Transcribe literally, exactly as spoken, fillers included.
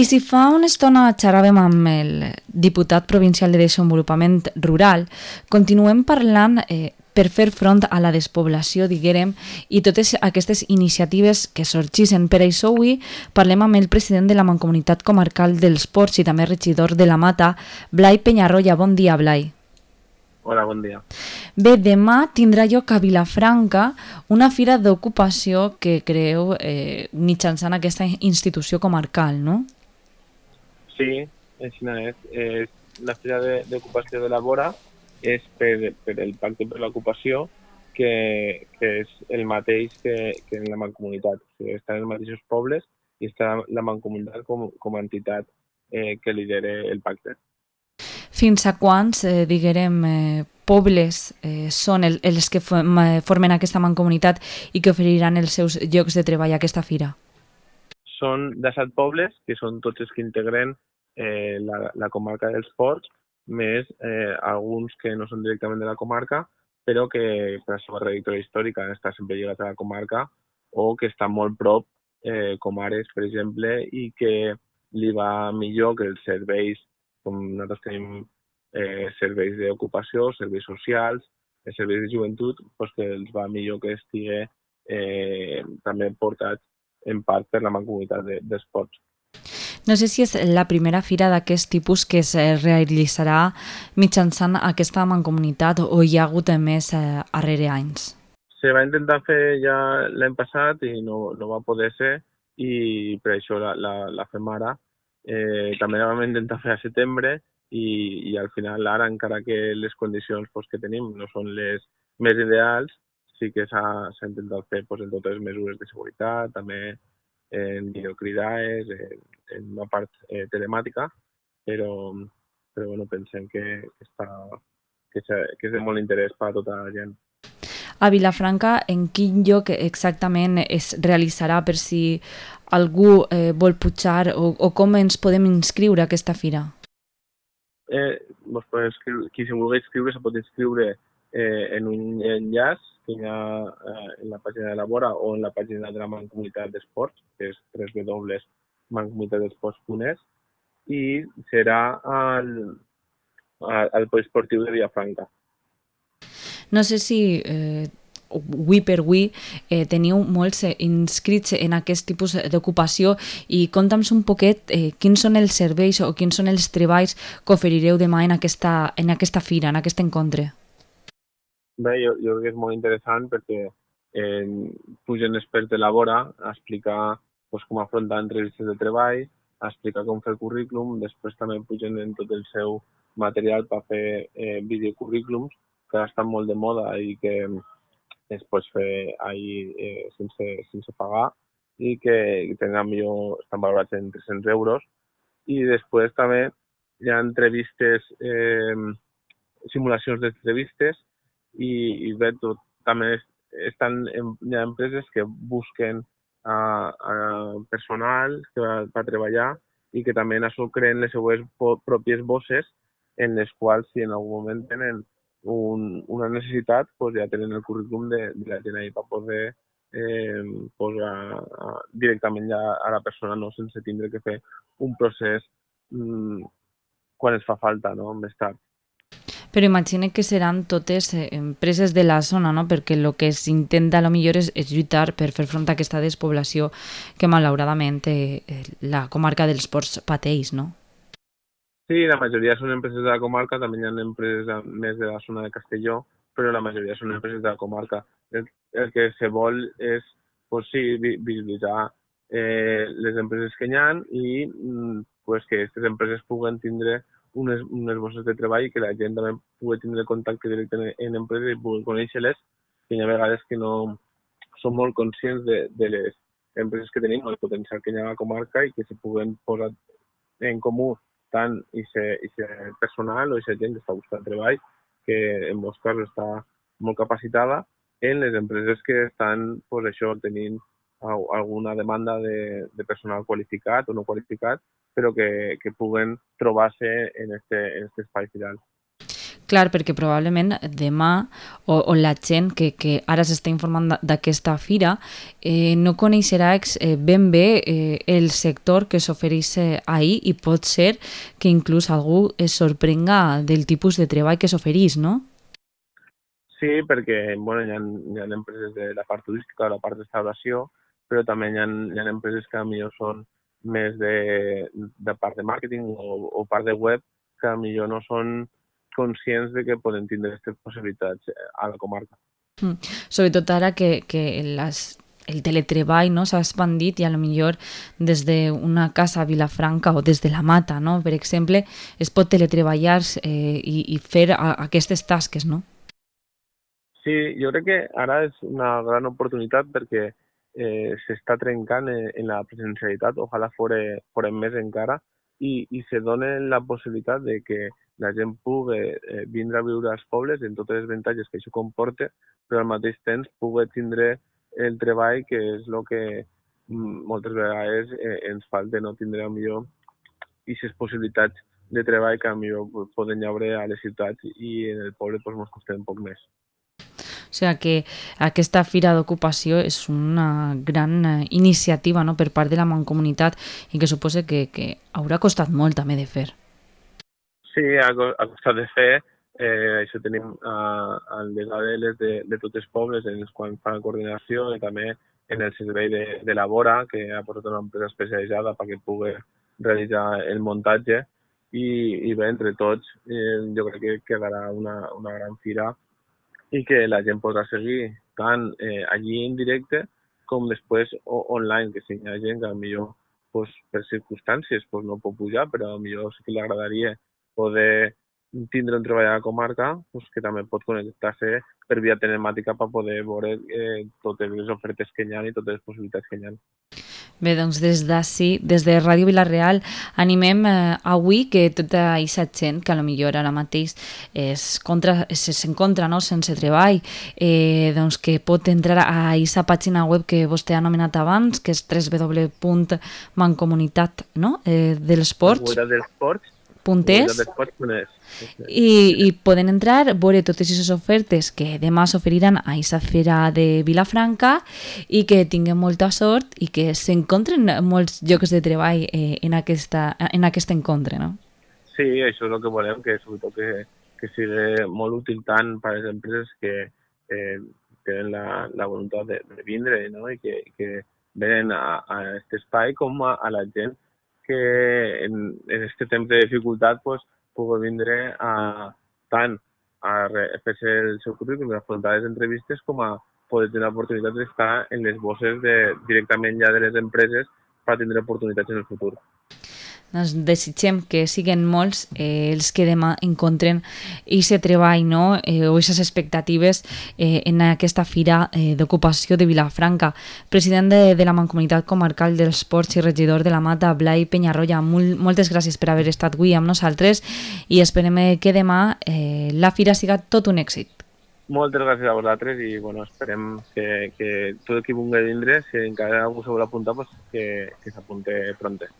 I si fa una estona xerràvem amb el diputat provincial de Desenvolupament Rural, continuem parlant eh, per fer front a la despoblació, diguérem, i totes aquestes iniciatives que sorgissin. Per això avui parlem amb el president de la Mancomunitat Comarcal dels Ports i també regidor de la Mata, Blai Peñarroya. Bon dia, Blai. Hola, bon dia. Bé, demà tindrà lloc a Vilafranca una fira d'ocupació que creeu eh, mitjançant aquesta institució comarcal, no? Sí, així és. és la fira d'ocupació de la Vora és per, per el Pacte per l'Ocupació, que, que és el mateix que, que en la Mancomunitat. O sigui, estan els mateixos pobles i està la Mancomunitat com, com a entitat eh, que lidera el pacte. Fins a quants, eh, diguérem, eh, pobles eh, són el, els que formen aquesta mancomunitat i que oferiran els seus llocs de treball a aquesta fira? Són disset pobles, que són tots els que integren eh, la, la comarca dels Ports, més eh, alguns que no són directament de la comarca, però que per la seva trajectòria històrica han estat sempre lligats a la comarca o que estan molt prop, eh, com Ares, per exemple, i que li va millor que els serveis, com nosaltres tenim eh, serveis d'ocupació, serveis socials, eh, serveis de joventut, doncs que els va millor que estigui eh, també portats en part per la Mancomunitat de, dels Ports. No sé si és la primera fira d'aquest tipus que es realitzarà mitjançant aquesta mancomunitat o hi ha hagut més eh, darrere anys. Se va intentar fer ja l'any passat i no, no va poder ser i per això la, la, la fem ara. Eh, també la vam intentar fer a setembre i, i al final ara, encara que les condicions pues, que tenim no són les més ideals, sí que s'ha intentat fer pues, en totes les mesures de seguretat, també en videocridades, en, en una part eh, telemàtica, però, però bueno, pensem que, que, està, que, que és de molt interès per a tota la gent. A Vilafranca, en quin lloc exactament es realitzarà per si algú eh, vol pujar o, o com ens podem inscriure a aquesta fira? Eh, qui se vulgui inscriure se pot inscriure eh, en un enllaç que hi ha eh, en la pàgina de la Vora o en la pàgina de la Mancomunitat d'Esports, que és w w w punt mancomunitat d'esports punt es, i serà al, al, al poliesportiu de Vilafranca. No sé si eh, avui per avui eh, teniu molts eh, inscrits en aquest tipus d'ocupació i conta'ns un poquet eh, quins són els serveis o quins són els treballs que oferireu demà en aquesta, en aquesta fira, en aquest encontre. Bé, jo, jo crec que és molt interessant perquè eh, pugen experts de la Vora a explicar pues, com afrontar entrevistes de treball, a explicar com fer el currículum, després també pugen en tot el seu material per fer eh, videocurrículums, que ara estan molt de moda i que es pot fer ahir eh, sense, sense pagar i que tenen millor, estan valorats en tres-cents euros. I després també hi ha entrevistes, eh, simulacions d'entrevistes i, i bé, tot, també estan, hi ha empreses que busquen a, a personal que va, va treballar i que també en això creen les seues pròpies bosses en les quals si en algun moment tenen un, una necessitat, pues ja tenen el currículum de, de la gent ahí per poder eh, posar a, directament ja a la persona, no sense tindre que fer un procés mm, quan es fa falta, no? Més tard. Però imagine que seran totes eh, empreses de la zona, no? Perquè el que s'intenta a lo millor és, és lluitar per fer front a aquesta despoblació que malauradament eh, la comarca dels Ports pateix, no? Sí, la majoria són empreses de la comarca, també hi ha empreses més de la zona de Castelló, però la majoria són empreses de la comarca. El, el que se vol és, pues sí, visibilitzar eh, les empreses que hi ha i pues, que aquestes empreses puguen tindre unes, unes bosses de treball i que la gent també pugui tindre contacte directe en, en empreses i pugui conèixer-les, que hi ha vegades que no són molt conscients de, de les empreses que tenim, el potencial que hi ha a la comarca i que se puguen posar en comú tant i ser personal o i ser gent que està buscant treball, que en molts casos està molt capacitada, en les empreses que estan pues, això, tenint alguna demanda de, de personal qualificat o no qualificat, però que, que puguen trobar-se en aquest en este espai firal. Clar, perquè probablement demà o, o la gent que, que ara s'està informant d'aquesta fira eh, no coneixerà eh, ben bé eh, el sector que s'ofereix eh, ahir i pot ser que inclús algú es sorprenga del tipus de treball que s'ofereix, no? Sí, perquè bueno, hi, ha, hi ha empreses de la part turística, de la part d'estauració, però també hi ha, hi ha empreses que millor són més de, de part de màrqueting o, o part de web, que millor no són conscients de que poden tindre aquestes possibilitats a la comarca. Mm. Sobretot ara que, que les, el teletreball no, s'ha expandit i a lo millor des d'una casa a Vilafranca o des de la Mata, no, per exemple, es pot teletreballar eh, i, i fer a, aquestes tasques, no? Sí, jo crec que ara és una gran oportunitat perquè eh, s'està trencant en, en la presencialitat, ojalà fore, fore més encara, i, i se dona la possibilitat de que la gent pugui eh, vindre a viure als pobles en totes les avantatges que això comporta, però al mateix temps pugui tindre el treball, que és el que mm, moltes vegades eh, ens falta, no tindre millor aquestes possibilitats de treball que millor poden haver a les ciutats i en el poble pues, ens costa un poc més. O sigui que aquesta fira d'ocupació és una gran eh, iniciativa, no?, per part de la Mancomunitat i que suposa que, que haurà costat molt també de fer. Sí, ha, ha costat de fer. Eh, això tenim eh, el desgavelles de, de tots els pobles en els quals fa la coordinació i també en el servei de, de la Vora, que ha posat una empresa especialitzada perquè pugui realitzar el muntatge i, i bé, entre tots eh, jo crec que quedarà una, una gran fira i que la gent podrà seguir tant eh, allí en directe com després o, online, que si hi ha gent que millor pues, per circumstàncies pues, no pot pujar, però millor sí que li agradaria poder tindre un treball a la comarca, pues, que també pot connectar-se per via telemàtica per poder veure eh, totes les ofertes que hi ha i totes les possibilitats que hi ha. Bé, doncs des d'ací, des de Ràdio Vila-real, animem eh, avui que tota aquesta gent que a lo millor ara mateix s'encontra no, sense treball, eh, doncs que pot entrar a aquesta pàgina web que vostè ha anomenat abans, que és w w w punt mancomunitat no? eh, dels ports. dels ports. Puntes i, i poden entrar, veure totes aquestes ofertes que demà s'oferiran a aquesta fira de Vilafranca i que tinguin molta sort i que s'encontren molts llocs de treball eh, en, aquesta, en aquest encontre, no? Sí, això és el que volem, que sobretot que, que sigui molt útil tant per a les empreses que eh, tenen la, la voluntat de, de vindre, no? I que, que venen a, a aquest espai com a, a la gent que en, en este temps de dificultat pues, pugui vindre a, tant a fer-se el seu currículum i afrontar les entrevistes com a poder tenir l'oportunitat d'estar en les bosses de, directament ja de les empreses per tindre oportunitats en el futur. Doncs desitgem que siguin molts eh, els que demà encontren aquest treball no? eh, o aquestes expectatives eh, en aquesta fira eh, d'ocupació de Vilafranca. President de, de la Mancomunitat Comarcal dels Ports i regidor de la Mata, Blai Penyarroia, molt, moltes gràcies per haver estat avui amb nosaltres i esperem que demà eh, la fira siga tot un èxit. Moltes gràcies a vosaltres i bueno, esperem que, que tot el qui vulgui vindre, si encara algú se vol apuntar, pues, que, que s'apunte pronte.